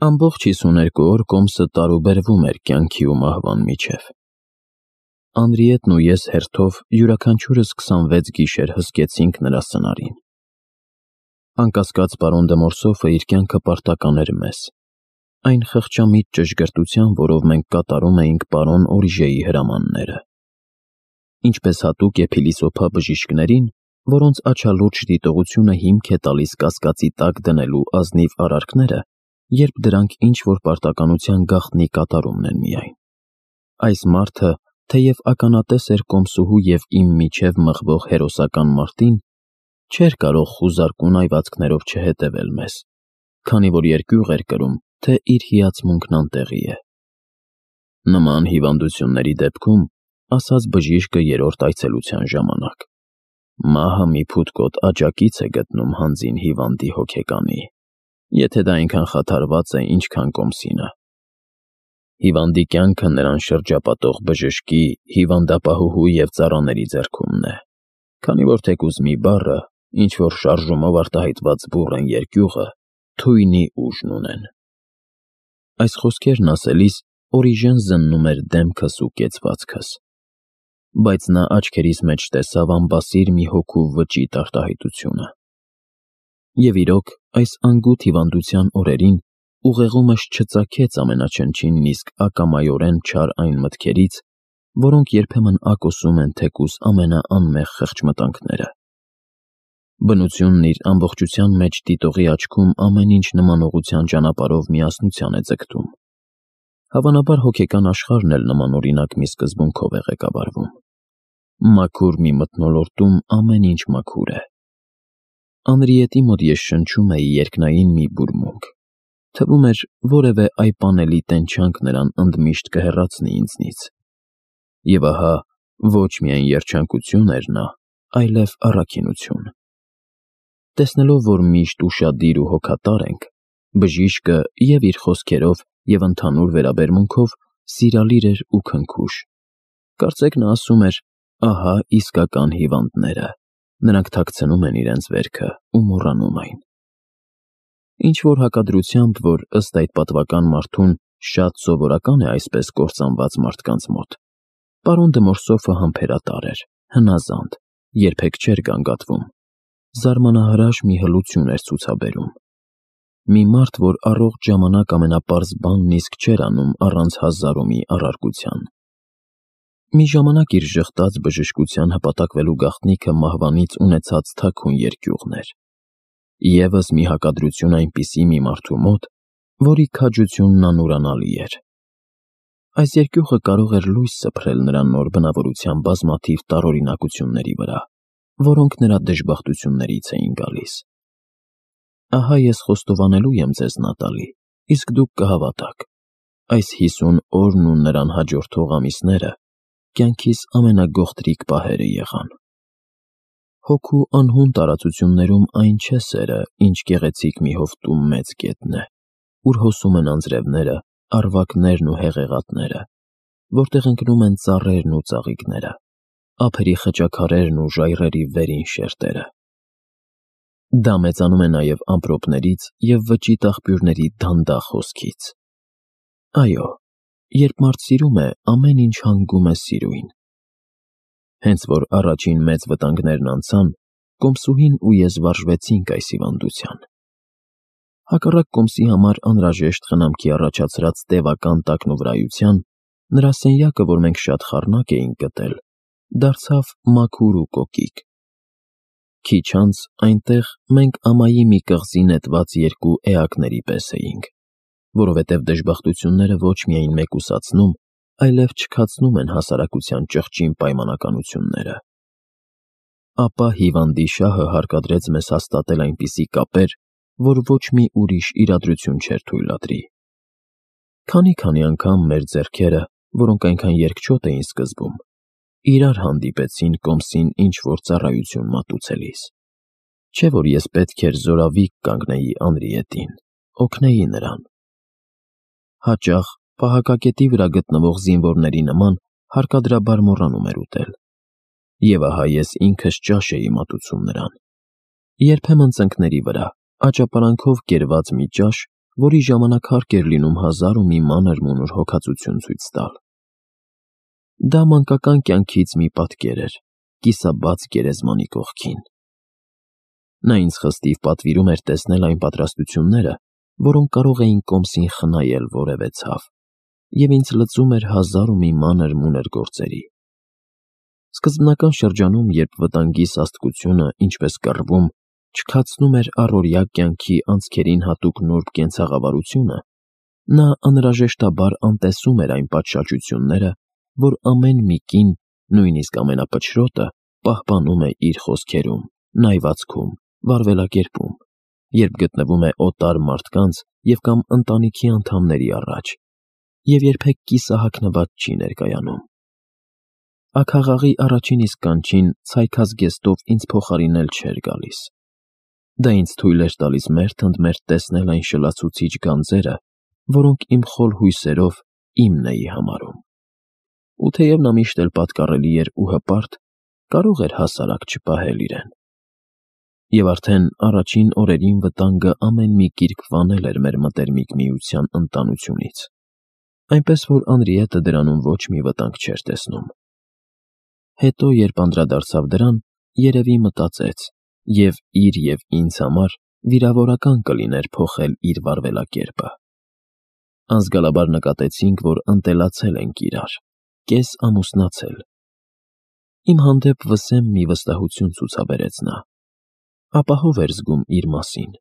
Ամբողջ 52 օր կոմսը տարուբերվում էր կյանքի ու մահվան միջև։ Անրիետն ու ես հերթով յուրաքանչյուրս 26 գիշեր հսկեցինք նրա սնարին։ Անկասկած պարոն դե Մորսոֆը իր կյանքը պարտական էր մեզ, այն խղճամիտ ճշգրտության, որով մենք կատարում էինք պարոն Օրիժեի հրամանները։ Ինչպես հատուկ է փիլիսոփա բժիշկներին, որոնց աչալուրջ դիտողությունը հիմք է տալիս կասկածի տակ դնելու ազնիվ արարքները, երբ դրանք ինչ-որ պարտականության գաղտնի կատարումն են միայն։ Այս մարդը, թեև ականատես էր կոմսուհու և իմ միջև մղվող հերոսական մարտին, չէր կարող խուզարկուն այվածքներով չհետևել մեզ, քանի որ երկյուղ էր կրում, թե իր հիացմունքն անտեղի է։ Նման հիվանդությունների դեպքում, ասաց բժիշկը երրորդ այցելության ժամանակ, մահը մի փութկոտ աջակից է գտնում հանձին հիվանդի հոգեկանի, եթե դա այնքան խաթարված է, ինչքան կոմսինը։ Հիվանդի կյանքը նրան շրջապատող բժշկի, հիվանդապահուհու և ծառաների ձեռքումն է, քանի որ թեկուզ մի բառը, ինչ-որ շարժումով արտահայտված բուռն երկյուղը, թույնի ուժն ունեն։ Այս խոսքերն ասելիս Օրիժեն զննում էր դեմքս ու կեցվածքս, բայց նա աչքերիս մեջ տեսավ անբասիր մի հոգու վճիտ արտահայտությունը։ Եվ իրոք, այս անգութ հիվանդության օրերին ուղեղումս չծագեց ամենաչնչին իսկ ակամայորեն չար այն մտքերից, որոնք երբեմն ակոսում են թեկուզ ամենաանմեղ խղճմտանքները։ Բնությունն իր ամբողջության մեջ դիտողի աչքում ամեն ինչ նմանողության ճանապարհով միասնության է ձգտում։ Հավանաբար հոգեկան աշխարհն էլ նմանօրինակ մի սկզբունքով է ղեկավարվում։ Մաքուր մի մթնոլորտում ամեն ինչ մաքուր է։ Անրիետի մոտ ես շնչում էի երկնային մի բուրմունք։ Թվում էր, որևէ այպանելի տենչանք նրան ընդմիշտ կհեռացնի ինձնից։ Եվ ահա, ոչ միայն երջանկություն էր նա, այլև առաքինություն։ Տեսնելով, որ միշտ ուշադիր ու հոգատար ենք, բժիշկը և իր խոսքերով և ընդհանուր վերաբերմունքով սիրալիր էր ու քնքուշ։ Կարծեք նա ասում էր. ահա իսկական հիվանդները, նրանք թաքցնում են իրենց վերքը ու մոռանում այն։ Ինչ-որ հակադրությամբ, որ ըստ այդ պատվական մարդուն շատ սովորական է այսպես կործանված մարդկանց մոտ, պարոն դե Մորսոֆը համբերատար էր, հնազանդ, երբեք չէր գանգատվում, զարմանահրաշ մի հլություն էր ցուցաբերում։ Մի մարդ, որ առողջ ժամանակ ամենապարզ բանն իսկ չէր անում առանց հազարումի առարկության։ Մի ժամանակ իր ժխտած բժշկության հպատակվելու գաղտնիքը մահվանից ունեցած թաքուն երկյուղն էր։ Եվս մի հակադրություն այնպիսի մի մարդու մոտ, որի քաջությունն անուրանալի էր։ Այս երկյուղը կարող էր լույս սփռել նրա նոր բնավորության բազմաթիվ տարօրինակությունների վրա, որոնք նրա դժբախտություններից էին գալիս։ Ահա ես խոստովանելու եմ ձեզ, Նատալի, իսկ դուք կհավատաք, այս 50 օրն ու նրան հաջորդող ամիսները կյանքիս ամենագողտրիկ պահերը եղան։ Հոգու անհուն տարածություններում այն չէ սերը, ինչ գեղեցիկ մի հովտում մեծ գետն է, ուր հոսում են անձրևները, առվակներն ու հեղեղատները, որտեղ ընկնում են ծառերն ու ծաղիկները, ափերի խճաքարերն ու ժայռերի վերին շերտերը։ Դա մեծանում է նաև ամպրոպներից և վճիտ աղբյուրների դանդաղ հոսքից։ Այո, երբ մարդ սիրում է, ամեն ինչ հանգում է սիրույն։ Հենց որ առաջին մեծ վտանգներն անցան, կոմսուհին ու ես վարժվեցինք այս հիվանդության։ Հակառակ կոմսի համար անհրաժեշտ խնամքի առաջացրած տևական տակնուվրայության, նրա սենյակը, որ մենք շատ խառնակ էինք գտել, դարձավ մաքուր ու կոկիկ։ Քիչ անց այնտեղ մենք ամայի մի կղզի նետված երկու էակների պես էինք, որովհետև դժբախտությունները ոչ միայն մեկուսացնում, այլև չքացնում են հասարակության ճղճին պայմանականությունները։ Ապա հիվանդի շահը հարկադրեց մեզ հաստատել այնպիսի կապեր, որ ոչ մի ուրիշ իրադրություն չէր թույլատրի։ Քանի անգամ մեր ձեռքերը, որոնք այնքան երկչոտ էին սկզբում, իրար հանդիպեցին կոմսին ինչ-որ ծառայություն մատուցելիս։ Չէ՞ որ ես պետք էր զորավիկ կանգնեի Անրիետին, օգնեի նրան։ Հաճախ պահակակետի վրա գտնվող զինվորների նման հարկադրաբար մոռանում էր ուտել։ Եվ ահա ես ինքս ճաշ էի մատուցում նրան։ Երբեմն ծնկների վրա, աճապարանքով կերված մի ճաշ, որի ժամանակ հարկ էր լինում հազար ու մի մանր մունուր հոգածություն ցույց տալ։ Դա մանկական կյանքից մի պատկեր էր, կիսաբաց գերեզմանի կողքին։ Նա ինձ խստիվ պատվիրում էր տեսնել այն պատրաստությունները, որոնք կարող էին կոմսին խնայել որևէ ցավ, և ինձ լծում էր հազար ու մի մանր մունր գործերի։ Սկզբնական շրջանում, երբ վտանգի սաստկությունը, ինչպես կռվում, չքացնում էր առօրյա կյանքի անցքերին հատուկ նուրբ կենցաղավարությունը, նա անհրաժեշտաբար անտեսում էր այն պատշաճությունները, որ ամեն մի կին, նույնիսկ ամենափչրոտը, պահպանում է իր խոսքերում, նայվածքում, վարվելակերպում, երբ գտնվում է օտար մարդկանց և կամ ընտանիքի անդամների առաջ, և երբեք կիսահագնված չի ներկայանում։ Աքաղաղի առաջին իսկ կանչին ցայքազգեստով ինձ փոխարինել չէր գալիս։ Դա ինձ թույլ էր տալիս մերթ-ընդ-մերթ տեսնել այն շլացուցիչ գանձերը, որոնք իմ խոլ հույսերով իմն էի համարում։ Ու թեև նա միշտ էլ պատկառելի էր ու հպարտ, կարող էր հասարակ չպահել իրեն։ Եվ արդեն առաջին օրերին վտանգը ամեն մի կիրք վանել էր մեր մտերմիկ միության ընտանությունից, այնպես որ Անրիետը դրանում ոչ մի վտանգ չէր տեսնում։ Հետո, երբ անդրադարձավ դրան, երևի մտածեց, և իր և ինձ համար վիրավորական կլիներ փոխել իր վարվելակերպը։ Անզգալաբար նկատեցինք, որ ընտելացել ենք իրար, կես ամուսնացել։ Իմ հանդեպ վսեմ մի վստահություն ցուցաբերեց նա, ապահով էր զգում իր մասին,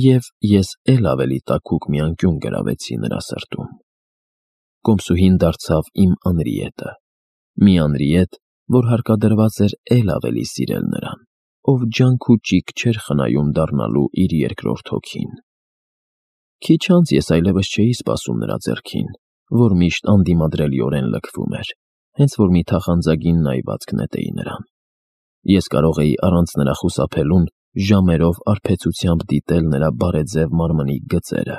և ես էլ ավելի տաքուկ մի անկյուն գրավեցի նրա սրտում։ Կոմսուհին դարձավ իմ Անրիետը, մի Անրիետ, որ հարկադրված էր էլ ավելի սիրել նրան, ով ջանք ու ճիգ չէր խնայում դառնալու իր երկրորդ հոգին։ Քիչ անց ես այլևս չէի սպասում նրա ձեռքին, որ միշտ անդիմադրելիորեն լքվում էր, հենց որ մի թախանձագին նայվածք նետեի նրան։ Ես կարող էի առանց նրա խուսափելուն ժամերով արբեցությամբ դիտել նրա բարեձև մարմնի գծերը,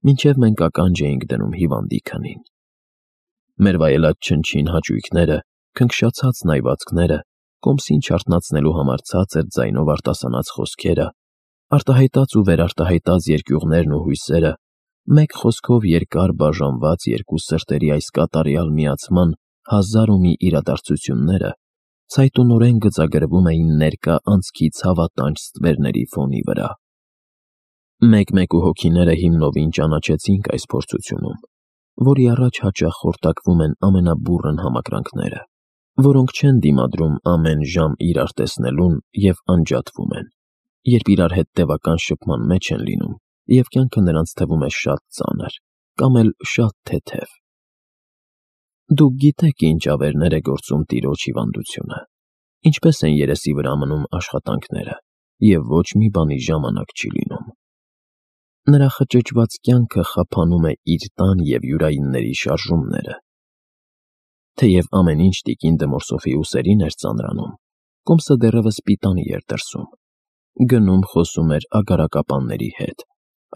մինչև մենք ականջ էինք դնում հիվանդի քնին։ Մեր վայելած չնչին հաճույքները, քնքշացած նայվածքները, կոմսին չարթնացնելու համար ցածր ձայնով արտասանած խոսքերը, արտահայտած ու վերարտահայտած երկյուղներն ու հույսերը, մեկ խոսքով երկար բաժանված երկու սրտերի այս կատարյալ միացման հազար ու մի իրադարձությունները ցայտունորեն գծագրվում էին ներկա անցքի ցավատանջ ստվերների ֆոնի վրա։ Մեկ-մեկ ու հոգիները հիմնովին ճանաչեցինք այս փորձությունում, որի առաջ հաճախ խորտակվում են ամենաբուռն համակրանքները, որոնք չեն դիմադրում ամեն ժամ իրար տեսնելուն և անջատվում են, երբ իրար հետ տևական շփման մեջ են լինում, և կյանքը նրանց թվում է շատ ծանր, կամ էլ շատ թեթև։ Դուք գիտեք ինչ ավերներ է գործում տիրոջ հիվանդությունը, ինչպես են երեսի վրա մնում աշխատանքները, և ոչ մի բանի ժամանակ չի լինում։ Նրա խճճված կյանքը խափանում է իր տան և յուրայինների շարժումները։ Թեև ամեն ինչ տիկին Դմորսոֆի ուսերին էր ծանրանում, կոմսը դեռևս պիտանի էր դրսում, գնում խոսում էր ագարակապանների հետ,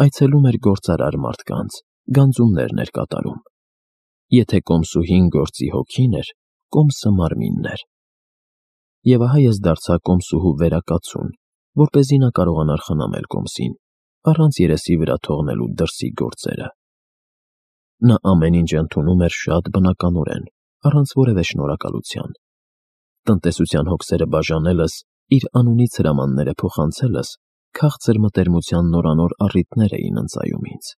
այցելում էր գործարար մարդկանց, գանձումներն էր կատարում։ Եթե կոմսուհին գործի հոգին էր, կոմսը մարմինն էր։ Եվ ահա ես դարձա կոմսուհու վերակացուն, որպեսզի նա կարողանար խնամել կոմսին, առանց երեսի վրա թողնելու դրսի գործերը։ Նա ամեն ինչ ընդունում էր շատ բնականորեն, առանց որևէ շնորհակալության։ Տնտեսության հոգսերը բաժանելս, իր անունից հրամանները փոխանցելս քաղցր մտերմության նորանոր առիթներ էին ընծայում ինձ։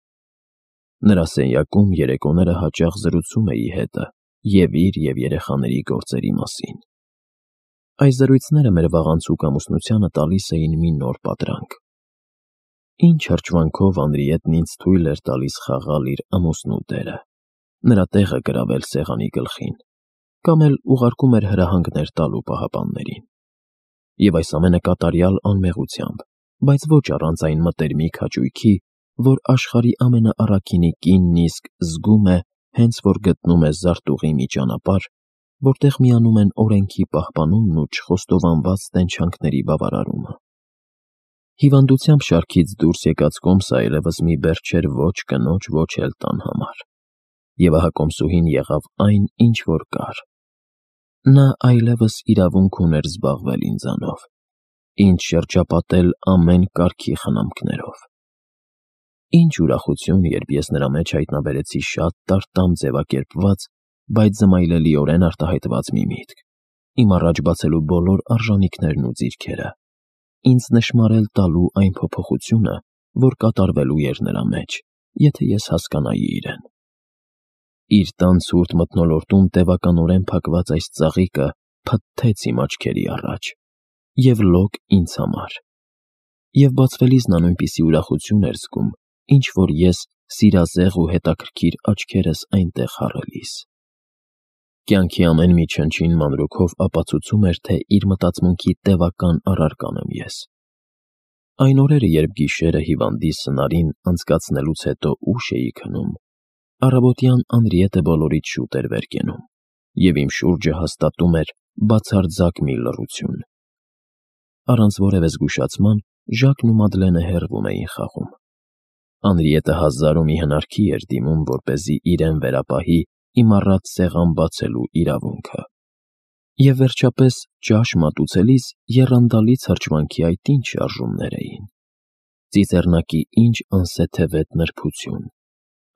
Նրա սենյակում երեկոները հաճախ զրուցում էի հետը և իր և երեխաների գործերի մասին։ Այս զրույցները մեր վաղանցուկ ամուսնությանը տալիս էին մի նոր պատրանք։ Ինչ հրճվանքով Անրիետն ինձ թույլ էր տալիս խաղալ իր ամուսնու դերը, նրա տեղը գրավել սեղանի գլխին, կամ էլ ուղարկում էր հրահանգներ տալու պահապաններին։ Եվ այս ամենը կատարյալ անմեղությամբ, բայց ոչ առանց այն մտերմիկ հաճույքի, որ աշխարհի ամենաառաքինի կինն իսկ զգում է, հենց որ գտնում է զարտուղի մի ճանապարհ, որտեղ միանում են օրենքի պահպանումն ու չխոստովանված տենչանքների բավարարումը։ Հիվանդությամբ շարքից դուրս եկած կոմսը այլևս մի բեռ չէր ոչ կնոջ, ոչ էլ տան համար։ Եվ ահա կոմսուհին եղավ այն, ինչ որ կար։ Նա այլևս իրավունք ուներ զբաղվել ինձանով, ինձ շրջապատել ամեն կարգի խնամքներով։ Ինչ ուրախություն, երբ ես նրա մեջ հայտնաբերեցի շատ տարտամ ձևակերպված, բայց զմայլելիորեն արտահայտված մի միտք, իմ առաջ բացելու բոլոր արժանինքներն ու ձիրքերը, ինձ նշմարել տալու այն փոփոխությունը, որ կատարվելու էր նրա մեջ, եթե ես հասկանայի իրեն։ Իր տան ցուրտ մթնոլորտում տևականորեն փակված այս ծաղիկը փթթեց իմ աչքերի առաջ, և լոկ ինձ համար, և բացվելիս նա նույնպիսի ուրախություն էր զգում, ինչ որ ես սիրազեղ ու հետաքրքիր աչքերս այնտեղ հառելիս։ Կյանքի ամեն մի չնչին մանրուքով ապացուցում էր, թե իր մտածմունքի տևական առարկան եմ ես։ Այն օրերը, երբ գիշերը հիվանդի սնարին անցկացնելուց հետո ուշ էի քնում, առավոտյան Անրիետը բոլորից շուտ էր վեր կենում, և իմ շուրջը հաստատում էր բացարձակ մի լռություն։ Առանց որևէ զգուշացման Ժակն ու Մադլենը հեռվում էին խաղում։ Անրիետը հազար ու մի հնարքի էր դիմում, որպեսզի իրեն վերապահի իմ առատ սեղան բացելու իրավունքը։ Եվ վերջապես ճաշ մատուցելիս եռանդալից հրճվանքի այդ ինչ շարժումներ էին։ Ծիծեռնակի ինչ անսեթևետ նրբություն,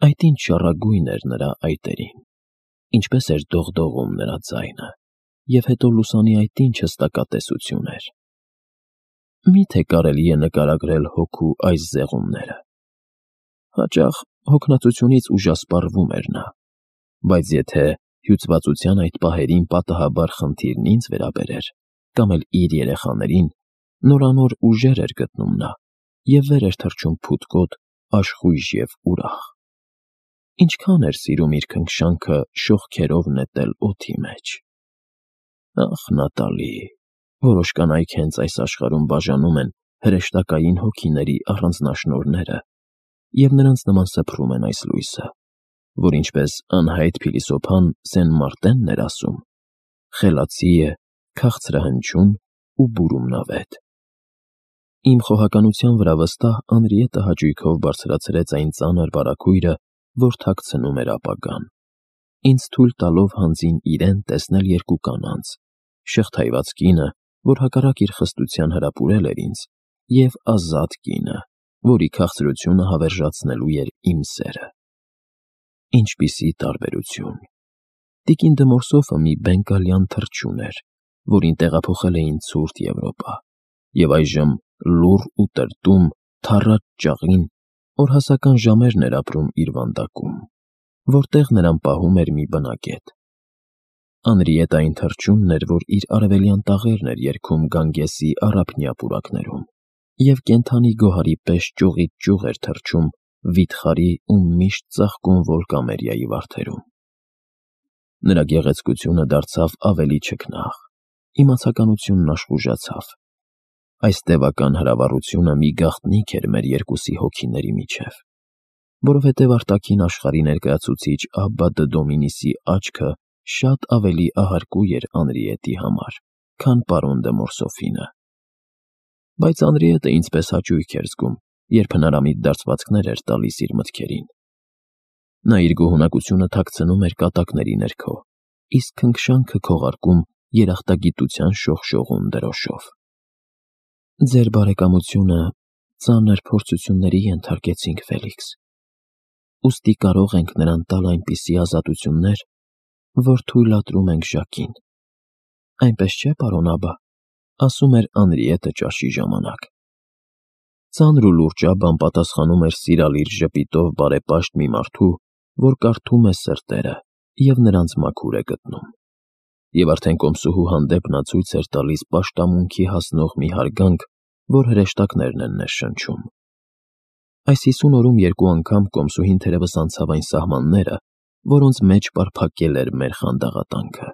այդ ինչ շառագույն էր նրա այտերին, ինչպես էր դողդողում նրա ձայնը, և հետո լուսանի այդ ինչ հստակատեսություն էր։ Մի՞թե կարելի է նկարագրել հոգու այս զեղումները։ Հաճախ հոգնածությունից ուժասպառվում էր նա, բայց եթե հյուծվածության այդ պահերին պատահաբար խնդիրն ինձ վերաբերեր, կամ էլ իր երեխաներին, նորանոր ուժեր էր գտնում նա և վեր էր թռչում փութկոտ, աշխույժ և ուրախ։ Ինչքան էր սիրում իր քնքշանքը շողքերով նետել օդի մեջ։ Ախ, Նատալի, որոշ կանայք հենց այս աշխարհում բաժանում են հրեշտակային հոգիների առանձնաշնորհները, և նրանց նման սփռում են այս լույսը, որ ինչպես անհայտ փիլիսոփան Սեն Մարտենն էր ասում, խելացի է, քաղցրահնչյուն ու բուրումնավետ։ Իմ խոհականության վրա վստահ Անրիետը հաճույքով բարձրացրեց այն ծանր բարագույրը, որ թաքցնում էր ապագան, ինձ թույլ տալով հանձին իրեն տեսնել երկու կանանց, շղթայված կինը, որ հակառակ իր խստության հրապուրել էր ինձ, և ազատ կինը, որի քաղցրությունը հավերժացնելու էր իմ սերը։ Ինչպիսի տարբերություն։ Տիկին Դմորսոֆը մի բենգալյան թռչուն էր, որին տեղափոխել էին ցուրտ Եվրոպա, և այժմ լուռ ու տրտում, թառած ճաղին, օրհասական ժամերն էր ապրում իր վանդակում, որտեղ նրան պահում էր մի բնակետ։ Անրիետը այն թռչունն էր, որ իր արևելյան տաղերն էր երգում Գանգեսի առափնյա պուրակներում, և կենդանի գոհարի պես ճյուղից ճյուղ էր թռչում վիթխարի ու միշտ ծաղկուն Վոլկամերիայի վարդերում։ Նրա գեղեցկությունը դարձավ ավելի չքնաղ, իմացականությունն աշխուժացավ։ Այս տևական հրավառությունը մի գաղտնիք էր մեր երկուսի հոգիների միջև, որովհետև արտաքին աշխարհի ներկայացուցիչ Աբբա Դոմինիսի աչքը շատ ավելի ահարկու էր Անրիետի համար, քան պարոն Դմորսոֆինը։ Բայց Անրիետը ինձ պես հաճույք էր զգում, երբ հնարամիտ դարձվածքներ էր տալիս իր մտքերին։ Նա իր գոհունակությունը թաքցնում էր կատակների ներքո, իսկ քնքշանքը քողարկում երախտագիտության շողշողուն դրոշով։ Ձեր բարեկամությունը ծանր փորձությունների ենթարկեցինք, Ֆելիքս, ուստի կարող ենք նրան տալ այնպիսի ազատություններ, որ թույլատրում ենք Ժակին։ Այնպես չէ, պարոն Աբբա, ասում էր Անրիետը ճաշի ժամանակ։ Ծանր ու լուրջ Աբբան պատասխանում էր սիրալիր ժպիտով բարեպաշտ մի մարդու, որ կարդում է սրտերը և նրանց մաքուր է գտնում։ Եվ արդեն կոմսուհու հանդեպ նա ցույց էր տալիս պաշտամունքի հասնող մի հարգանք, որ հրեշտակներն են ներշնչում։ Այս 50 օրում երկու անգամ կոմսուհին թերևս անցավ այն սահմանները, որոնց մեջ պարփակել էր մեր խանդաղատանքը,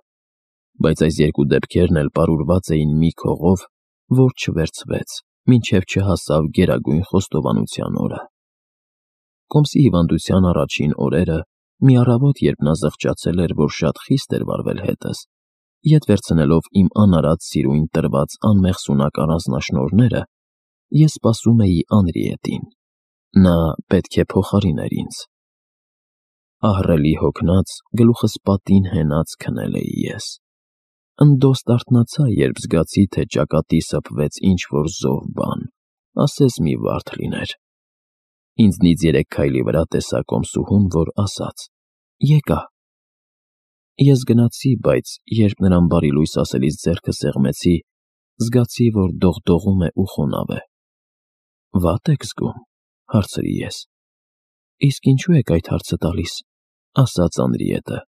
բայց այս երկու դեպքերն էլ պարուրված էին մի քողով, որ չվերցվեց, մինչև չհասավ գերագույն խոստովանության օրը։ Կոմսի հիվանդության առաջին օրերը, մի առավոտ, երբ նա զղջացել էր, որ շատ խիստ էր վարվել հետս, ետ վերցնելով իմ անարատ սիրուն տրված անմեղսունակ առանձնաշնորհները, ես սպասում էի Անրիետին։ Նա պետք է փոխարիներ ինձ։ Ահռելի հոգնած, գլուխս պատին հենած քնել էի ես։ Ընդոստ արթնացա, երբ զգացի, թե ճակատի սփվեց ինչ-որ զով բան, ասես մի վարդ լիներ։ Ինձնից 3 քայլի վրա տեսա կոմսուհուն, որ ասաց. «Եկա»։ Ես գնացի, բայց երբ նրան բարի լույս ասելիս ձեռքը սեղմեցի, զգացի, որ դողդողում է ու խոնավ է։ «Վատ եք զգում», հարցրի ես։ «Իսկ ինչու եք այդ հարցը տալիս», ասաց Անրիետը։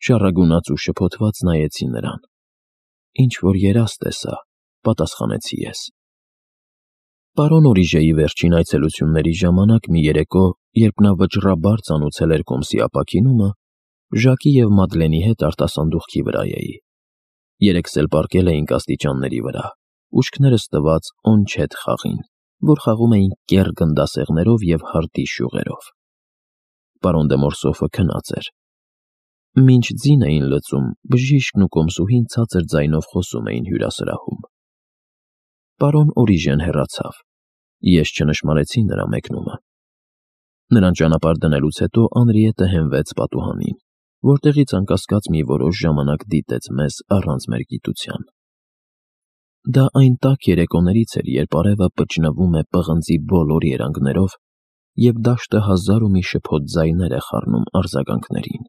Շառագունած ու շփոթված նայեցի նրան։ «Ինչ-որ երազ տեսա», պատասխանեցի ես։ Պարոն Օրիժեի վերջին այցելությունների ժամանակ մի երեկո, երբ նա վճռաբար ծանուցել էր կոմսի ապաքինումը, Ժակի և Մադլենի հետ արտասանդուղքի վրա էի։ Երեքս էլ պառկել էինք աստիճանների վրա, ուշքներս տված օնչետ խաղին, որ խաղում էինք կեռ գնդասեղներով և հարտի շյուղերով։ Պարոն դե Մորսոֆը քնած էր։ Մինչ ձին էին լծում, բժիշկն ու կոմսուհին ցածր ձայնով խոսում էին հյուրասրահում։ Պարոն Օրիժեն հեռացավ։ Ես չնշմարեցի նրա մեկնումը։ Նրան ճանապարհ դնելուց հետո Անրիետը հենվեց պատուհանին, որտեղից անկասկած մի որոշ ժամանակ դիտեց մեզ առանց մեր գիտության։ Դա այն տաք երեկոներից էր, երբ արևը պճնվում է պղնձի բոլոր երանգներով, և դաշտը հազար ու մի շփոթ ձայներ է խառնում արձագանքներին։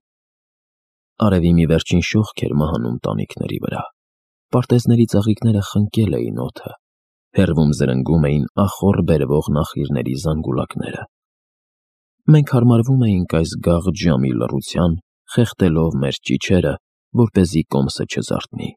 Արևի մի վերջին շողք էր մահանում տանիքների վրա։ Պարտեզների ծաղիկները խնկել էին օդը, հեռվում զրնգում էին ախոռ բերվող նախիրների զանգուլակները։ Մենք հարմարվում էինք այս գաղ ջամի լռության, խեղդելով մեր ճիչերը, որպեսզի կոմսը չզարթնի։